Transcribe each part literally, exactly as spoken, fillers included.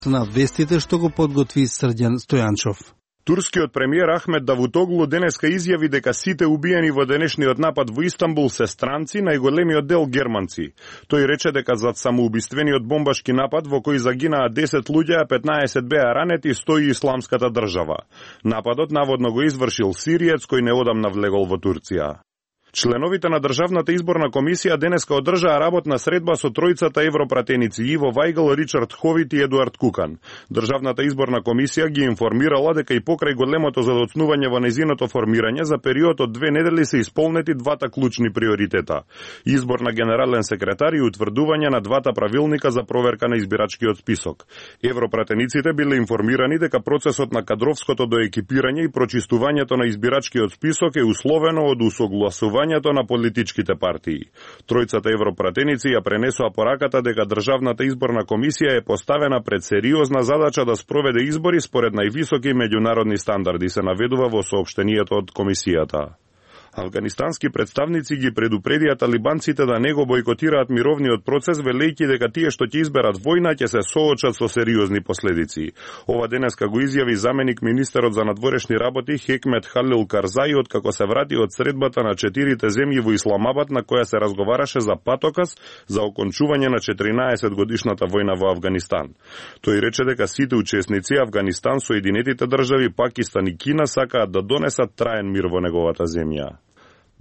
на вестите што го подготви Срđan Стојанчов. Турскиот премиер Ахмет Давутоглу денеска изјави дека сите убиени во денешниот напад во Истанбул се странци, најголемиот дел германци. Тој рече дека зад самоубиствениот бомбашки напад во кој загинаа десет луѓе, а петнаесет беа ранети, стои Исламската држава. Нападот наводно го извршил сириец кој неодамна влегол во Турција. Членовите на Државната изборна комисија денеска одржаа работна средба со тројцата европратеници Иво Вајгл, Ричард Ховит и Едуард Кукан. Државната изборна комисија ги информирала дека и покрај големото задоцнување во незиното формирање за период од две недели се исполнети двата клучни приоритета: избор на генерален секретар и утврдување на двата правилника за проверка на избирачкиот список. Европратениците биле информирани дека процесот на кадровското доекипирање и прочистувањето на избирачкиот список е условено од усогласување на политичките партии. Тројцата европратеници ја пренесоа пораката дека Државната изборна комисија е поставена пред сериозна задача да спроведе избори според највисоки меѓународни стандарди, се наведува во соопштението од комисијата. Афганистански представници ги предупредија талибанците да не го бойкотираат мировниот процес, велејќи дека тие што ќе изберат војна ќе се соочат со сериозни последици. Ова денеска го изјави заменик министерот за надворешни работи Хекмет Халил Карзаи откако се врати од средбата на четирите земји во Исламабад на која се разговараше за патоказ за окончување на четиринаесет годишната војна во Афганистан. Тој рече дека сите учесници, Афганистан, Соединетите држави, Пакистан и Кина, сакаат да донесат траен мир во неговата земја.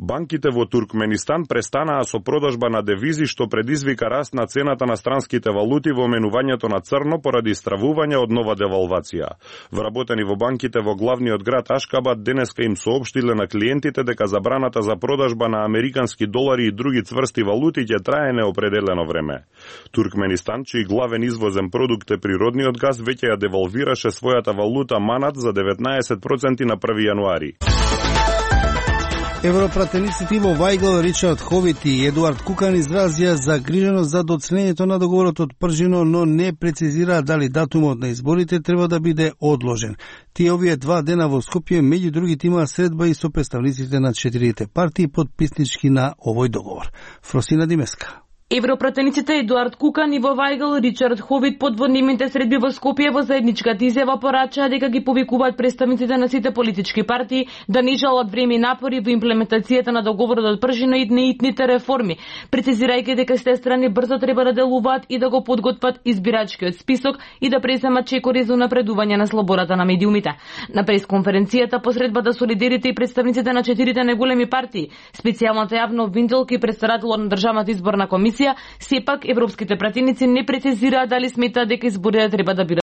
Банките во Туркменистан престанаа со продажба на девизи, што предизвика раст на цената на странските валути во менувањето на црно поради стравување од нова девалвација. Вработени во банките во главниот град Ашкабад денеска им соопштиле на клиентите дека забраната за продажба на американски долари и други цврсти валути ќе трае неопределено време. Туркменистан, чиј главен извозен продукт е природниот газ, веќе ја девалвираше својата валута манат за деветнаесет проценти на први јануари. Европратениците Иво Вајгл, Ричард Ховит и Едуард Кукан изразија загриженост за доцнењето на договорот од Пржино, но не прецизираа дали датумот на изборите треба да биде одложен. Тие овие два дена во Скопје меѓу другите имаа средба и со представниците на четирите партии подписнички на овој договор. Фросина Димеска. Европратениците Едуард Кукан, Иво Вајгл, Ричард Ховит под воднимите средби во Скопје во заедничката изјава порачаа дека ги повикуваат представниците на сите политички партии да не жалат време и напори во имплементацијата на договорот од Пржино и неитните реформи, прецизирајќи дека сите страни брзо треба да делуваат и да го подготват избирачкиот список и да преземат чекори за унапредување на слободата на медиумите. На пресконференцијата по средбата солидерите и представниците на четирите најголеми партии, специјалната јавна обвинителка и претставителот на Државната изборна комисија, сепак европските пратеници не прецизираа дали сметаат дека изборите треба да бидат